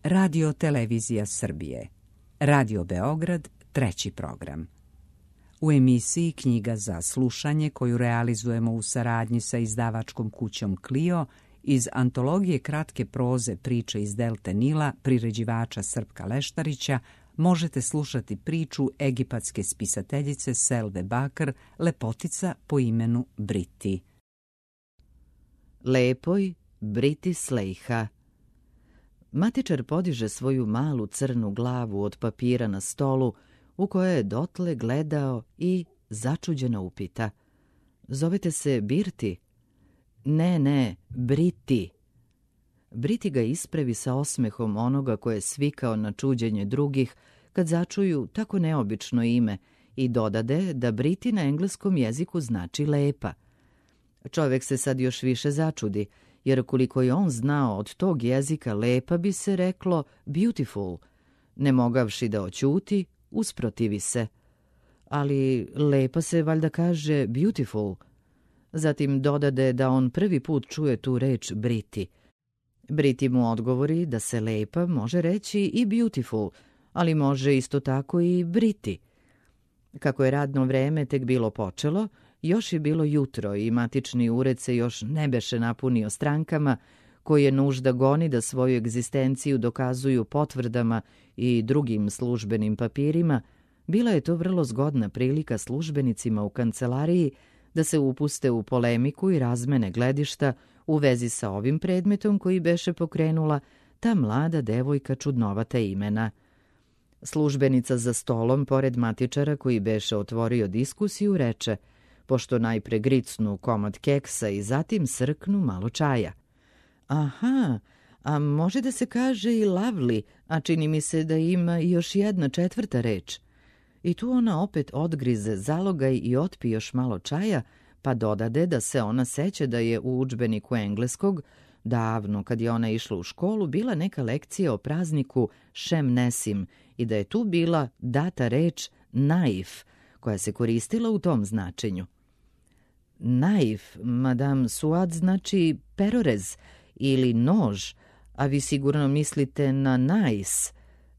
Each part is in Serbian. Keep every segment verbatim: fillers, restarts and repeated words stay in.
Radio Televizija Srbije. Radio Beograd, treći program. U emisiji Knjiga za slušanje, koju realizujemo u saradnji sa izdavačkom kućom Clio, iz antologije kratke proze Priče iz Delte Nila priređivača Srpka Leštarića, možete slušati priču egipatske spisateljice Selve Bakr, Lepotica po imenu Briti. Lepoj Briti Slejha. Matičar podiže svoju malu crnu glavu od papira na stolu, u kojoj je dotle gledao i začuđeno upita. Zovete se Birti? Ne, ne, Briti. Briti ga ispravi sa osmehom onoga koje je svikao na čuđenje drugih kad začuju tako neobično ime i dodade da Briti na engleskom jeziku znači lepa. Čovjek se sad još više začudi, jer koliko je on znao od tog jezika lepa bi se reklo beautiful. Ne mogavši da oćuti, usprotivi se. Ali lepa se valjda kaže beautiful. Zatim dodade da on prvi put čuje tu reč Briti. Briti mu odgovori da se lepa može reći i beautiful, ali može isto tako i Briti. Kako je radno vreme tek bilo počelo, još je bilo jutro i matični ured se još ne beše napunio strankama, koje nužda goni da svoju egzistenciju dokazuju potvrdama i drugim službenim papirima. Bila je to vrlo zgodna prilika službenicima u kancelariji da se upuste u polemiku i razmene gledišta u vezi sa ovim predmetom koji beše pokrenula ta mlada devojka čudnovata imena. Službenica za stolom, pored matičara koji beše otvorio diskusiju, reče, pošto najpre gricnu komad keksa i zatim srknu malo čaja. Aha, a može da se kaže i lovely, a čini mi se da ima još jedna četvrta reč. I tu ona opet odgrize zalogaj i otpi još malo čaja, pa dodade da se ona seća da je u udžbeniku engleskog, davno kad je ona išla u školu, bila neka lekcija o prazniku Šem Nesim i da je tu bila data reč naif, koja se koristila u tom značenju. Naif, madame Suad, znači perorez ili nož, a vi sigurno mislite na nice,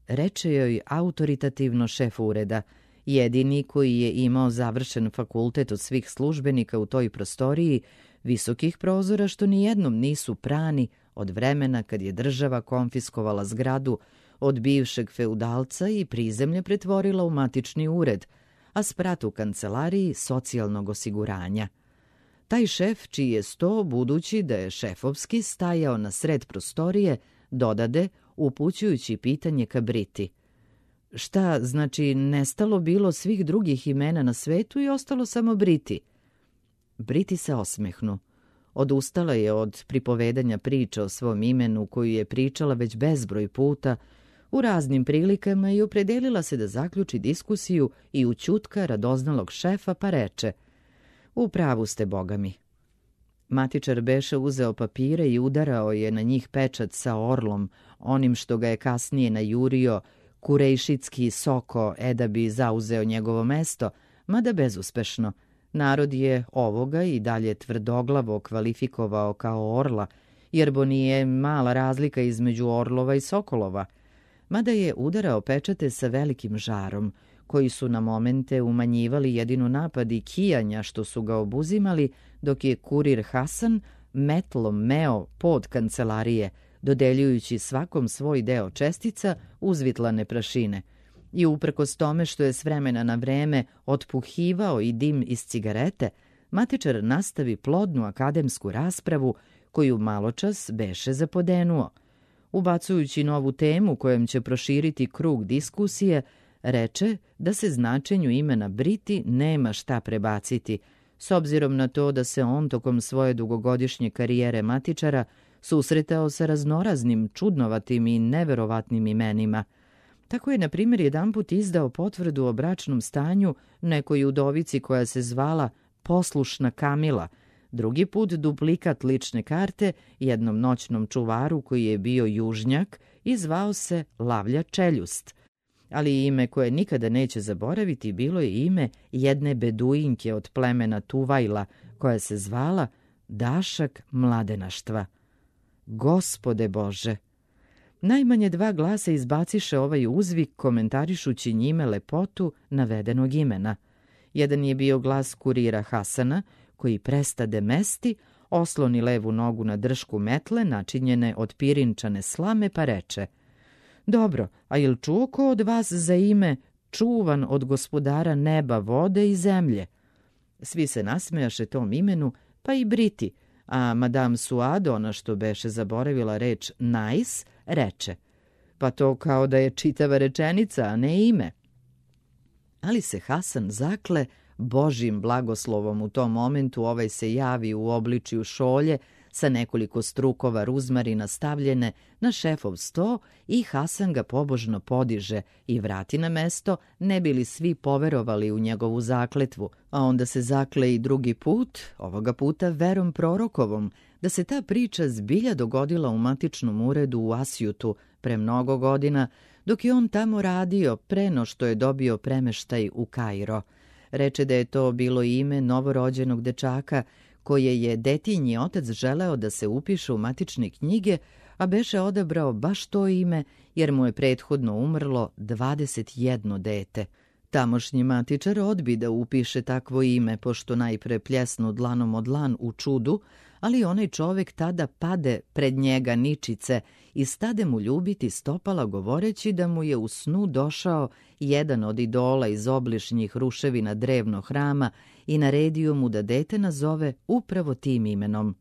reče joj autoritativno šef ureda, jedini koji je imao završen fakultet od svih službenika u toj prostoriji, visokih prozora što nijednom nisu prani od vremena kad je država konfiskovala zgradu od bivšeg feudalca i prizemlje pretvorila u matični ured, a sprat u kancelariji socijalnog osiguranja. Taj šef, čiji je sto, budući da je šefovski, stajao na sred prostorije, dodade, upućujući pitanje ka Briti. Šta, znači, nestalo bilo svih drugih imena na svetu i ostalo samo Briti? Briti se osmehnu. Odustala je od pripovedanja priča o svom imenu koju je pričala već bezbroj puta u raznim prilikama i opredelila se da zaključi diskusiju i ućutka radoznalog šefa, pa reče: U pravu ste, boga mi. Matičar beše uzeo papire i udarao je na njih pečat sa orlom, onim što ga je kasnije najurio Kurejšitski Soko, e da bi zauzeo njegovo mesto, mada bezuspešno. Narod je ovoga i dalje tvrdoglavo kvalifikovao kao orla, jer bo nije mala razlika između orlova i sokolova, mada je udarao pečate sa velikim žarom, koji su na momente umanjivali jedino napad i kijanja što su ga obuzimali, dok je kurir Hasan metlom meo pod kancelarije, dodeljujući svakom svoj deo čestica uzvitlane prašine. I uprkos tome što je s vremena na vreme otpuhivao i dim iz cigarete, matičar nastavi plodnu akademsku raspravu koju maločas beše zapodenuo. Ubacujući novu temu kojom će proširiti krug diskusije, reče da se značenju imena Briti nema šta prebaciti, s obzirom na to da se on tokom svoje dugogodišnje karijere matičara susretao sa raznoraznim, čudnovatim i neverovatnim imenima. Tako je, na primjer, jedanput izdao potvrdu o bračnom stanju nekoj udovici koja se zvala Poslušna Kamila, drugi put duplikat lične karte jednom noćnom čuvaru koji je bio južnjak i zvao se Lavlja Čeljust. Ali ime koje nikada neće zaboraviti bilo je ime jedne beduinke od plemena Tuvajla koja se zvala Dašak Mladenaštva. Gospode Bože! Najmanje dva glasa izbaciše ovaj uzvik komentarišući njime lepotu navedenog imena. Jedan je bio glas kurira Hasana, koji prestade mesti, osloni levu nogu na dršku metle načinjene od pirinčane slame pa reče: Dobro, a jel čuo ko od vas za ime čuvan od gospodara neba, vode i zemlje? Svi se nasmejaše tom imenu, pa i Briti, a Madame Suad, ona što beše zaboravila reč nice, reče: Pa to kao da je čitava rečenica, a ne ime. Ali se Hasan zakle Božjim blagoslovom u tom momentu ovaj se javi u obličju šolje sa nekoliko strukova ruzmarina stavljene na šefov sto i Hasan ga pobožno podiže i vrati na mesto, ne bili svi poverovali u njegovu zakletvu, a onda se zakle i drugi put, ovoga puta verom prorokovom, da se ta priča zbilja dogodila u matičnom uredu u Asjutu pre mnogo godina, dok je on tamo radio pre no što je dobio premeštaj u Kairo. Reče da je to bilo ime novorođenog dečaka koje je detinji otac želeo da se upiše u matične knjige, a beše odabrao baš to ime jer mu je prethodno umrlo dvadeset jedno dete. Tamošnji matičar odbi da upiše takvo ime, pošto najpre pljesnu dlanom od dlan u čudu, ali onaj čovek tada pade pred njega ničice i stade mu ljubiti stopala govoreći da mu je u snu došao jedan od idola iz obližnjih ruševina drevnog hrama i naredio mu da dete nazove upravo tim imenom.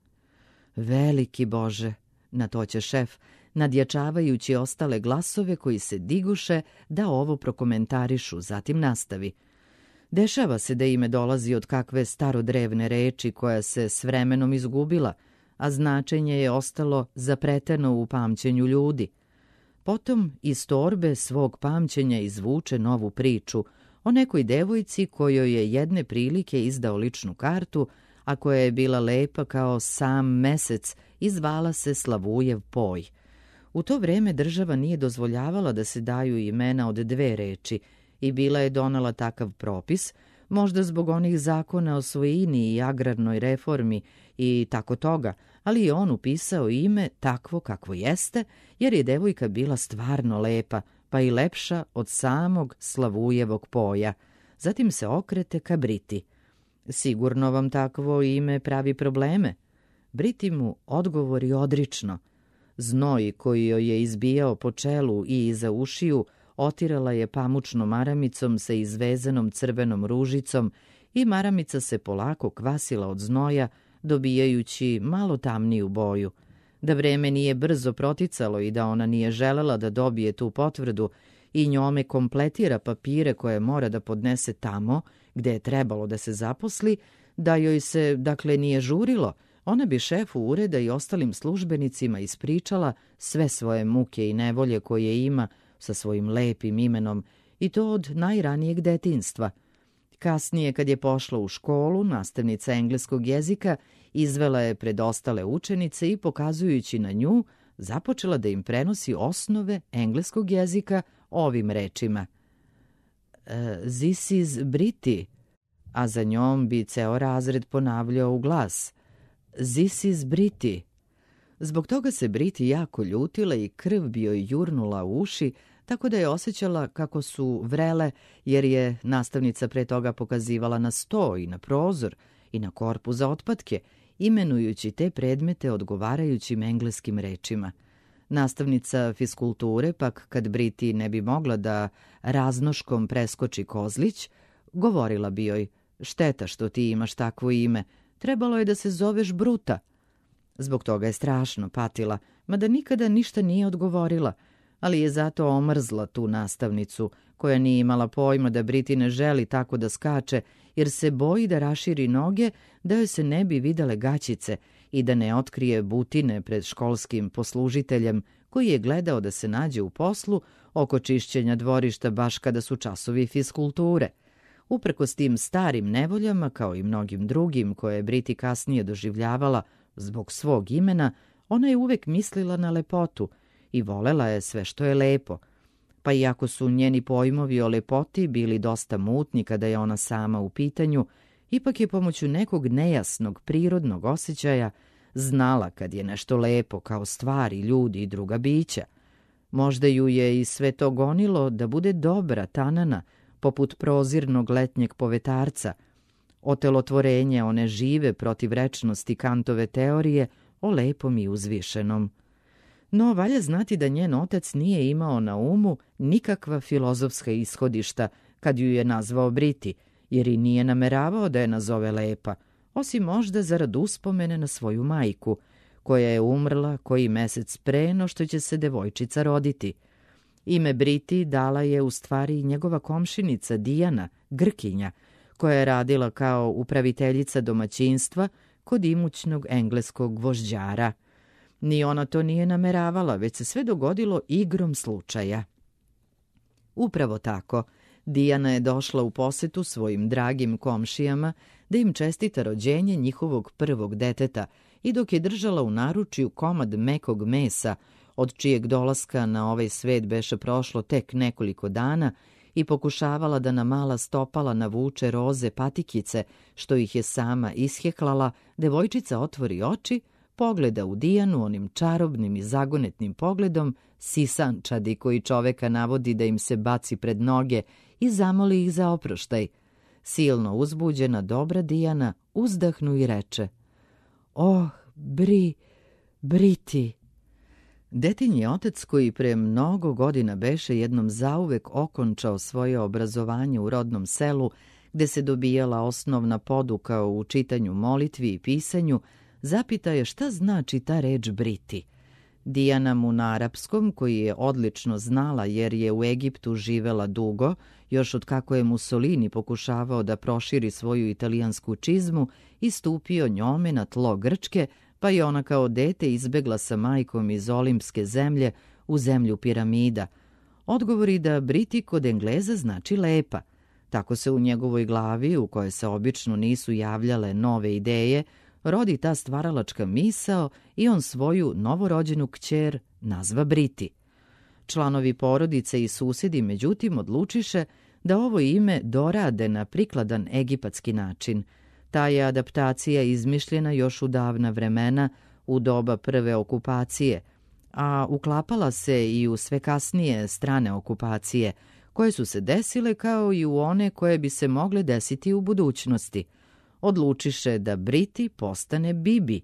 Veliki Bože, na to će šef, nadjačavajući ostale glasove koji se diguše da ovo prokomentarišu, zatim nastavi. Dešava se da ime dolazi od kakve starodrevne reči koja se s vremenom izgubila, a značenje je ostalo zapreteno u pamćenju ljudi. Potom iz torbe svog pamćenja izvuče novu priču o nekoj devojci kojoj je jedne prilike izdao ličnu kartu, a koja je bila lepa kao sam mesec i zvala se Slavujev poj. U to vreme država nije dozvoljavala da se daju imena od dve reči i bila je donala takav propis, možda zbog onih zakona o svojini i agrarnoj reformi i tako toga, ali je on upisao ime takvo kakvo jeste, jer je devojka bila stvarno lepa, pa i lepša od samog Slavujevog poja. Zatim se okrete ka Briti. Sigurno vam takvo ime pravi probleme. Briti mu odgovori odrično. Znoj koji joj je izbijao po čelu i iza ušiju otirala je pamučnom maramicom sa izvezanom crvenom ružicom i maramica se polako kvasila od znoja, dobijajući malo tamniju boju. Da vreme nije brzo proticalo i da ona nije želela da dobije tu potvrdu i njome kompletira papire koje mora da podnese tamo gde je trebalo da se zaposli, da joj se, dakle, nije žurilo, ona bi šefu ureda i ostalim službenicima ispričala sve svoje muke i nevolje koje ima sa svojim lepim imenom, i to od najranijeg detinjstva. Kasnije, kad je pošla u školu, nastavnica engleskog jezika izvela je pred ostale učenice i, pokazujući na nju, započela da im prenosi osnove engleskog jezika ovim rečima. This is Briti, a za njom bi ceo razred ponavljao u glas. This is Briti. Zbog toga se Briti jako ljutila i krv bi joj jurnula u uši, tako da je osjećala kako su vrele, jer je nastavnica pre toga pokazivala na sto i na prozor i na korpu za otpatke, imenujući te predmete odgovarajućim engleskim rečima. Nastavnica fiskulture, pak kad Briti ne bi mogla da raznoškom preskoči kozlić, govorila bi joj: šteta što ti imaš takvo ime, trebalo je da se zoveš Bruta. Zbog toga je strašno patila, mada nikada ništa nije odgovorila, ali je zato omrzla tu nastavnicu, koja nije imala pojma da Briti ne želi tako da skače, jer se boji da raširi noge, da joj se ne bi videle gaćice i da ne otkrije butine pred školskim poslužiteljem, koji je gledao da se nađe u poslu oko čišćenja dvorišta baš kada su časovi fiskulture. Uprkos tim starim nevoljama, kao i mnogim drugim koje je Briti kasnije doživljavala zbog svog imena, ona je uvek mislila na lepotu i volela je sve što je lepo. Pa iako su njeni pojmovi o lepoti bili dosta mutni kada je ona sama u pitanju, ipak je pomoću nekog nejasnog prirodnog osjećaja znala kad je nešto lepo kao stvari, ljudi i druga bića. Možda ju je i sve to gonilo da bude dobra tanana, poput prozirnog letnjeg povetarca, otelotvorenje one žive protivrečnosti Kantove teorije o lepom i uzvišenom. No, valja znati da njen otac nije imao na umu nikakva filozofska ishodišta kad ju je nazvao Briti, jer i nije nameravao da je nazove lepa, osim možda zarad uspomene na svoju majku, koja je umrla koji mesec pre no što će se devojčica roditi. Ime Briti dala je u stvari njegova komšinica Dijana, Grkinja, koja je radila kao upraviteljica domaćinstva kod imućnog engleskog vožđara. Ni ona to nije nameravala, već se sve dogodilo igrom slučaja. Upravo tako, Dijana je došla u posetu svojim dragim komšijama da im čestita rođenje njihovog prvog deteta i dok je držala u naručju komad mekog mesa, od čijeg dolaska na ovaj svet beše prošlo tek nekoliko dana, i pokušavala da na mala stopala navuče roze patikice, što ih je sama isheklala, devojčica otvori oči, pogleda u Dijanu onim čarobnim i zagonetnim pogledom, sisančadi koji čoveka navodi da im se baci pred noge i zamoli ih za oproštaj. Silno uzbuđena dobra Dijana uzdahnu i reče: "Oh, Bri, Briti." Detinji otac, koji pre mnogo godina beše jednom zauvek okončao svoje obrazovanje u rodnom selu, gde se dobijala osnovna poduka u čitanju molitvi i pisanju, zapita je šta znači ta reč Briti. Dijana mu na arapskom, koji je odlično znala jer je u Egiptu živela dugo, još od kako je Mussolini pokušavao da proširi svoju italijansku čizmu, i stupio njome na tlo Grčke, pa je ona kao dete izbegla sa majkom iz olimpske zemlje u zemlju piramida. Odgovori da Briti kod Engleza znači lepa. Tako se u njegovoj glavi, u kojoj se obično nisu javljale nove ideje, rodi ta stvaralačka misao i on svoju novorođenu kćer nazva Briti. Članovi porodice i susedi međutim odlučiše da ovo ime dorade na prikladan egipatski način. Ta je adaptacija izmišljena još u davna vremena, u doba prve okupacije, a uklapala se i u sve kasnije strane okupacije, koje su se desile kao i u one koje bi se mogle desiti u budućnosti. Odlučiše da Briti postane Bibi,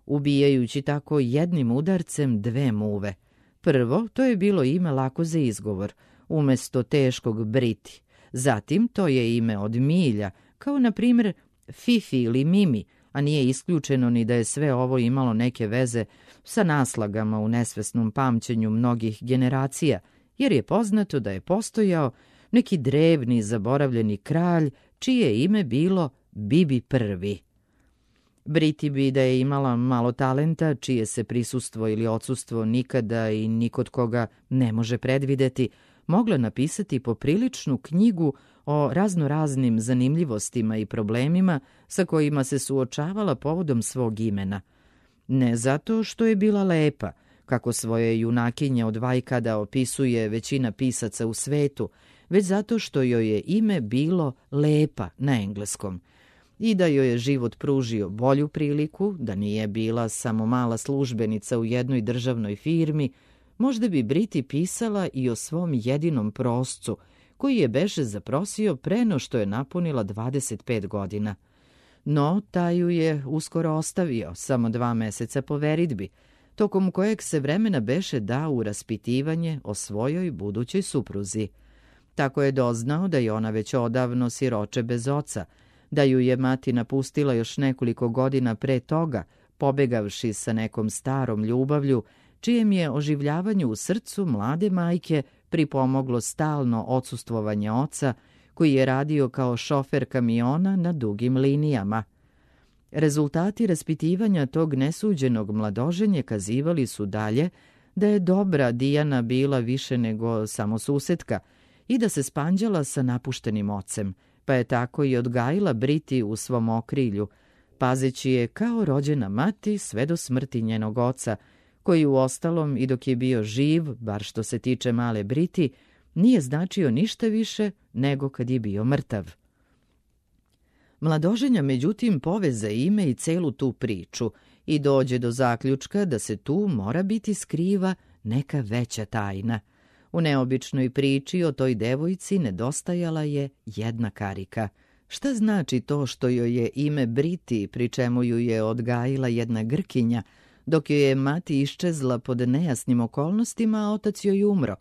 ubijajući tako jednim udarcem dve muve. Prvo, to je bilo ime lako za izgovor, umesto teškog Briti. Zatim, to je ime od milja, kao na primjer Fifi ili Mimi, a nije isključeno ni da je sve ovo imalo neke veze sa naslagama u nesvesnom pamćenju mnogih generacija, jer je poznato da je postojao neki drevni zaboravljeni kralj čije ime bilo Bibi prvi. Briti bi da je imala malo talenta, čije se prisustvo ili odsustvo nikada i nikod koga ne može predvideti, mogla napisati popriličnu knjigu o raznoraznim zanimljivostima i problemima sa kojima se suočavala povodom svog imena. Ne zato što je bila lepa, kako svoje junakinje od vajkada opisuje većina pisaca u svetu, već zato što joj je ime bilo lepa na engleskom i da joj je život pružio bolju priliku, da nije bila samo mala službenica u jednoj državnoj firmi, možda bi Briti pisala i o svom jedinom proscu, koji je beše zaprosio pre no što je napunila dvadeset pet godina. No, taj ju je uskoro ostavio, samo dva meseca po veridbi, tokom kojeg se vremena beše dao u raspitivanje o svojoj budućoj supruzi. Tako je doznao da je ona već odavno siroče bez oca, da ju je mati napustila još nekoliko godina pre toga, pobegavši sa nekom starom ljubavlju, čijem je oživljavanju u srcu mlade majke pripomoglo stalno odsustvovanje oca, koji je radio kao šofer kamiona na dugim linijama. Rezultati raspitivanja tog nesuđenog mladoženje kazivali su dalje da je dobra Dijana bila više nego samo susetka i da se spanđala sa napuštenim ocem, pa je tako i odgajila Briti u svom okrilju, pazeći je kao rođena mati sve do smrti njenog oca, koji u ostalom i dok je bio živ, bar što se tiče male Briti, nije značio ništa više nego kad je bio mrtav. Mladoženja međutim poveze ime i celu tu priču i dođe do zaključka da se tu mora biti skriva neka veća tajna. U neobičnoj priči o toj devojci nedostajala je jedna karika. Šta znači to što joj je ime Briti, pri čemu ju je odgajila jedna Grkinja, dok joj je mati iščezla pod nejasnim okolnostima, a otac joj umro?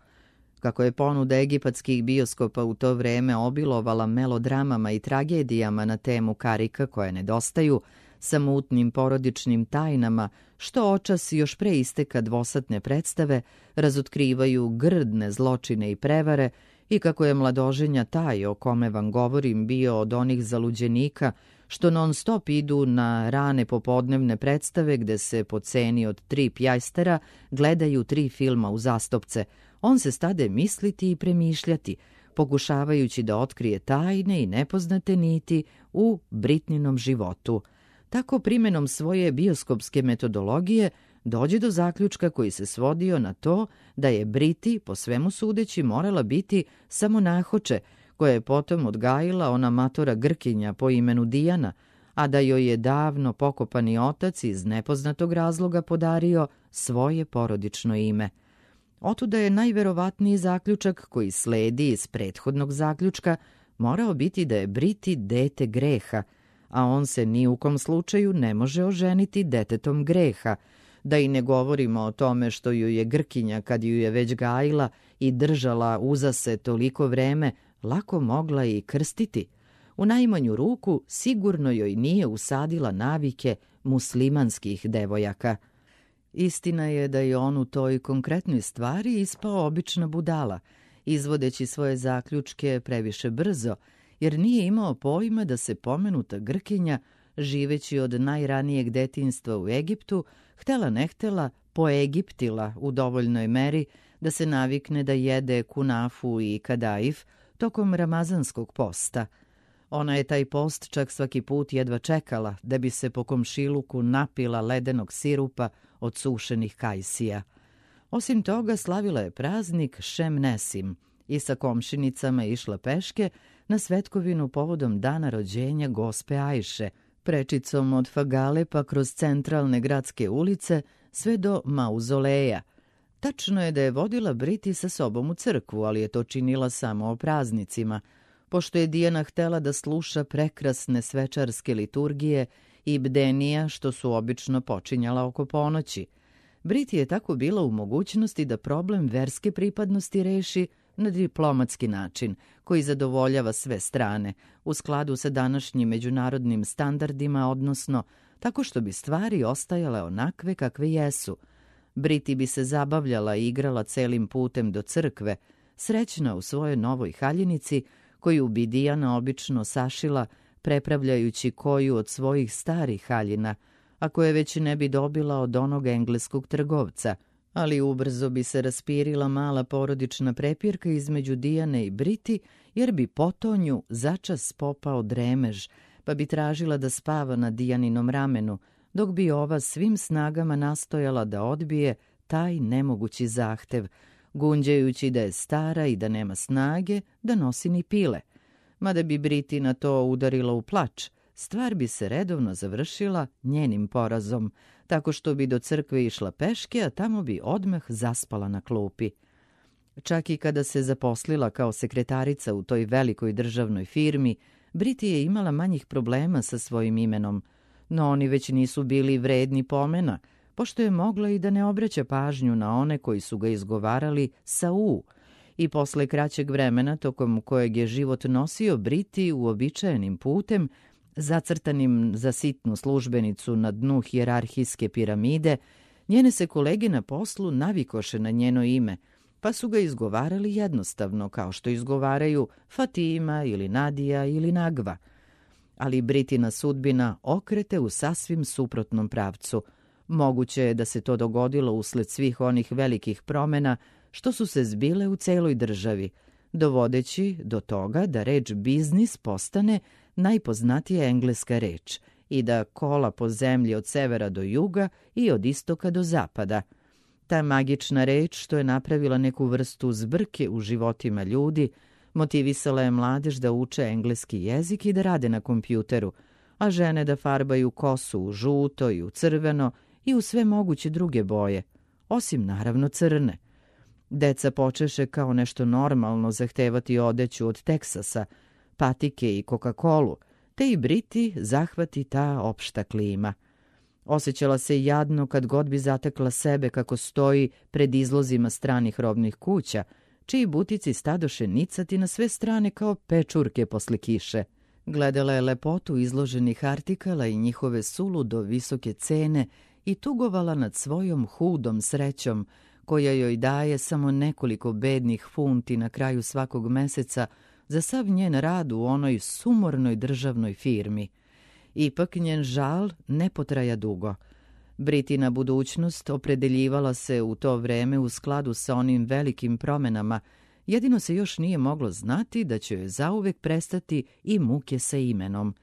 Kako je ponuda egipatskih bioskopa u to vreme obilovala melodramama i tragedijama na temu karika koje nedostaju, sa mutnim porodičnim tajnama, što očas još pre isteka dvosatne predstave razotkrivaju grdne zločine i prevare, i kako je mladoženja taj o kome vam govorim bio od onih zaluđenika što non stop idu na rane popodnevne predstave gde se po ceni od tri pjajstera gledaju tri filma uzastopce, on se stade misliti i premišljati, pokušavajući da otkrije tajne i nepoznate niti u Britninom životu. Tako primenom svoje bioskopske metodologije dođe do zaključka koji se svodio na to da je Briti, po svemu sudeći, morala biti samo nahoče, koja je potom odgajila ona matora Grkinja po imenu Dijana, a da joj je davno pokopani otac iz nepoznatog razloga podario svoje porodično ime. Otuda je najverovatniji zaključak koji sledi iz prethodnog zaključka morao biti da je Briti dete greha, a on se ni u kom slučaju ne može oženiti detetom greha, da i ne govorimo o tome što ju je Grkinja, kad ju je već gajila i držala uza se toliko vreme, lako mogla i krstiti. U najmanju ruku sigurno joj nije usadila navike muslimanskih devojaka. Istina je da je on u toj konkretnoj stvari ispao obična budala, izvodeći svoje zaključke previše brzo, jer nije imao pojma da se pomenuta Grkinja, živeći od najranijeg detinjstva u Egiptu, htela ne htela poegiptila u dovoljnoj meri da se navikne da jede kunafu i kadaif tokom ramazanskog posta. Ona je taj post čak svaki put jedva čekala da bi se po komšiluku napila ledenog sirupa od sušenih kajsija. Osim toga, slavila je praznik Šem Nesim i sa komšinicama išla peške na svetkovinu povodom dana rođenja gospe Ajše, prečicom od Fagale pa kroz centralne gradske ulice sve do Mauzoleja. Tačno je da je vodila Briti sa sobom u crkvu, ali je to činila samo o praznicima, pošto je Dijana htela da sluša prekrasne svečarske liturgije i bdenija što su obično počinjala oko ponoći. Briti je tako bila u mogućnosti da problem verske pripadnosti reši na diplomatski način, koji zadovoljava sve strane, u skladu sa današnjim međunarodnim standardima, odnosno tako što bi stvari ostajale onakve kakve jesu. Briti bi se zabavljala i igrala celim putem do crkve, srećna u svojoj novoj haljinici, koju bi Dijana obično sašila, prepravljajući koju od svojih starih haljina, a koje već ne bi dobila od onog engleskog trgovca, ali ubrzo bi se raspirila mala porodična prepirka između Dijane i Briti, jer bi potonju začas popao dremež, pa bi tražila da spava na Dijaninom ramenu, dok bi ova svim snagama nastojala da odbije taj nemogući zahtev, gunđajući da je stara i da nema snage da nosi ni pile. Mada bi Briti na to udarila u plač, stvar bi se redovno završila njenim porazom, tako što bi do crkve išla peške, a tamo bi odmah zaspala na klupi. Čak i kada se zaposlila kao sekretarica u toj velikoj državnoj firmi, Briti je imala manjih problema sa svojim imenom, no oni već nisu bili vredni pomena, pošto je mogla i da ne obraća pažnju na one koji su ga izgovarali sa U, i posle kraćeg vremena tokom kojeg je život nosio Briti uobičajenim putem, zacrtanim za sitnu službenicu na dnu hijerarhijske piramide, njene se kolege na poslu navikoše na njeno ime, pa su ga izgovarali jednostavno, kao što izgovaraju Fatima ili Nadija ili Nagva. Ali Britina sudbina okrete u sasvim suprotnom pravcu. Moguće je da se to dogodilo usled svih onih velikih promena što su se zbile u celoj državi, dovodeći do toga da reč biznis postane najpoznatija engleska reč i da kola po zemlji od severa do juga i od istoka do zapada. Ta magična reč što je napravila neku vrstu zbrke u životima ljudi, motivisala je mladež da uče engleski jezik i da rade na kompjuteru, a žene da farbaju kosu u žuto i u crveno i u sve moguće druge boje. osim naravno crne. Deca počeše kao nešto normalno zahtevati odeću od Teksasa, patike i Coca-Colu, te i Briti zahvati ta opšta klima. Osjećala se jadno kad god bi zatekla sebe kako stoji pred izlozima stranih robnih kuća, čiji butici stadoše nicati na sve strane kao pečurke posle kiše. Gledala je lepotu izloženih artikala i njihove suludo visoke cene i tugovala nad svojom hudom srećom, koja joj daje samo nekoliko bednih funti na kraju svakog meseca za sav njen rad u onoj sumornoj državnoj firmi. Ipak njen žal ne potraja dugo. Britina budućnost opredeljivala se u to vreme u skladu sa onim velikim promenama, jedino se još nije moglo znati da će joj zauvek prestati i muke sa imenom.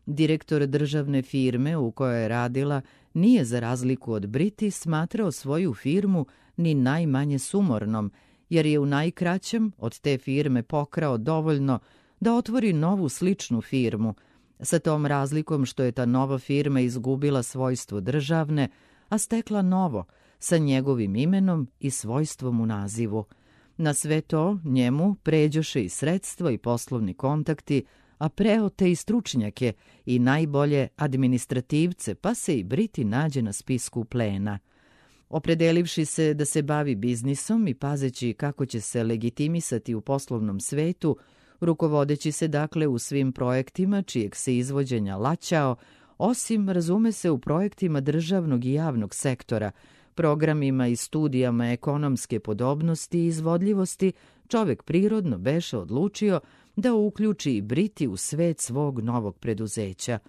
Direktor državne firme u kojoj je radila nije za razliku od Briti smatrao svoju firmu ni najmanje sumornom, jer je u najkraćem od te firme pokrao dovoljno da otvori novu sličnu firmu, sa tom razlikom što je ta nova firma izgubila svojstvo državne, a stekla novo, sa njegovim imenom i svojstvom u nazivu. Na sve to njemu pređoše i sredstva i poslovni kontakti, a preote i stručnjake i najbolje administrativce, pa se i Briti nađe na spisku plena. Opredelivši se da se bavi biznisom i pazeći kako će se legitimisati u poslovnom svetu, rukovodeći se dakle u svim projektima čijeg se izvođenja laćao, osim, razume se, u projektima državnog i javnog sektora, programima i studijama ekonomske podobnosti i izvodljivosti, čovek prirodno beše odlučio da uključi i Briti u svet svog novog preduzeća.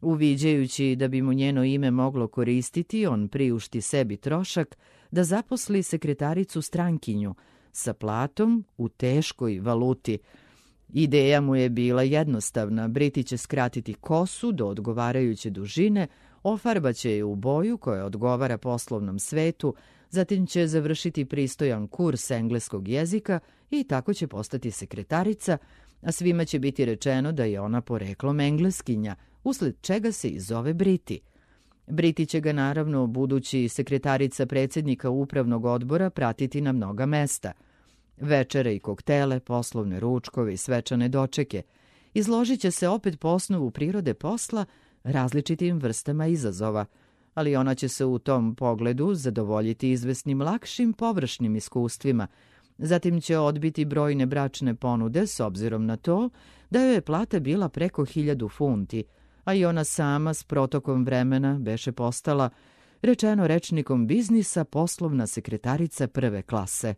Uviđajući da bi mu njeno ime moglo koristiti, on priušti sebi trošak da zaposli sekretaricu strankinju sa platom u teškoj valuti. Ideja mu je bila jednostavna. Briti će skratiti kosu do odgovarajuće dužine, ofarbaće je u boju koja odgovara poslovnom svetu, zatim će završiti pristojan kurs engleskog jezika i tako će postati sekretarica, a svima će biti rečeno da je ona poreklom Engleskinja, usled čega se i zove Briti. Briti će ga naravno, budući sekretarica predsjednika upravnog odbora, pratiti na mnoga mesta. Večere i koktele, poslovne ručkove i svečane dočeke. Izložit će se opet po osnovu prirode posla različitim vrstama izazova, ali ona će se u tom pogledu zadovoljiti izvesnim lakšim površnim iskustvima. Zatim će odbiti brojne bračne ponude s obzirom na to da joj je plata bila preko hiljadu funti, a i ona sama s protokom vremena beše postala, rečeno rečnikom biznisa, poslovna sekretarica prve klase.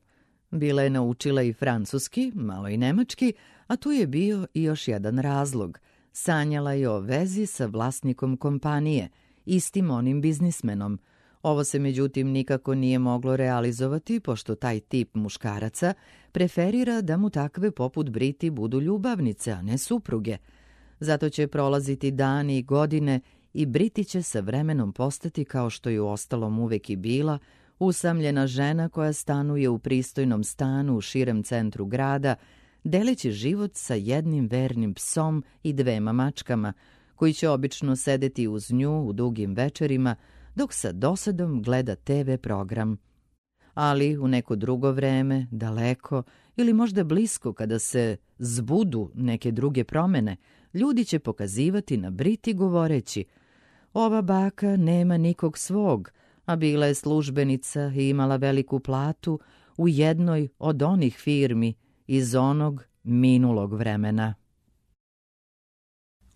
Bila je naučila i francuski, malo i nemački, a tu je bio i još jedan razlog. Sanjala je o vezi sa vlasnikom kompanije, istim onim biznismenom. Ovo se međutim nikako nije moglo realizovati, pošto taj tip muškaraca preferira da mu takve poput Briti budu ljubavnice, a ne supruge. Zato će prolaziti dani i godine i Briti će sa vremenom postati, kao što je u ostalom uvek i bila, usamljena žena koja stanuje u pristojnom stanu u širem centru grada, deleći život sa jednim vernim psom i dvema mačkama, koji će obično sedeti uz nju u dugim večerima, dok sa dosadom gleda te ve program. Ali u neko drugo vreme, daleko ili možda blisko, kada se zbudu neke druge promene, ljudi će pokazivati na Briti govoreći: ova baka nema nikog svog, a bila je službenica i imala veliku platu u jednoj od onih firmi iz onog minulog vremena.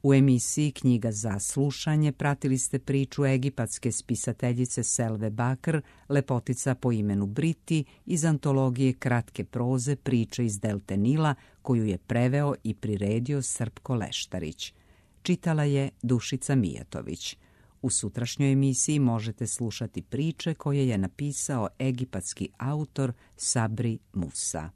U emisiji Knjiga za slušanje pratili ste priču egipatske spisateljice Selve Bakr, lepotica po imenu Briti, iz antologije kratke proze Priče iz Delte Nila, koju je preveo i priredio Srpko Leštarić. Čitala je Dušica Mijatović. U sutrašnjoj emisiji možete slušati priče koje je napisao egipatski autor Sabri Musa.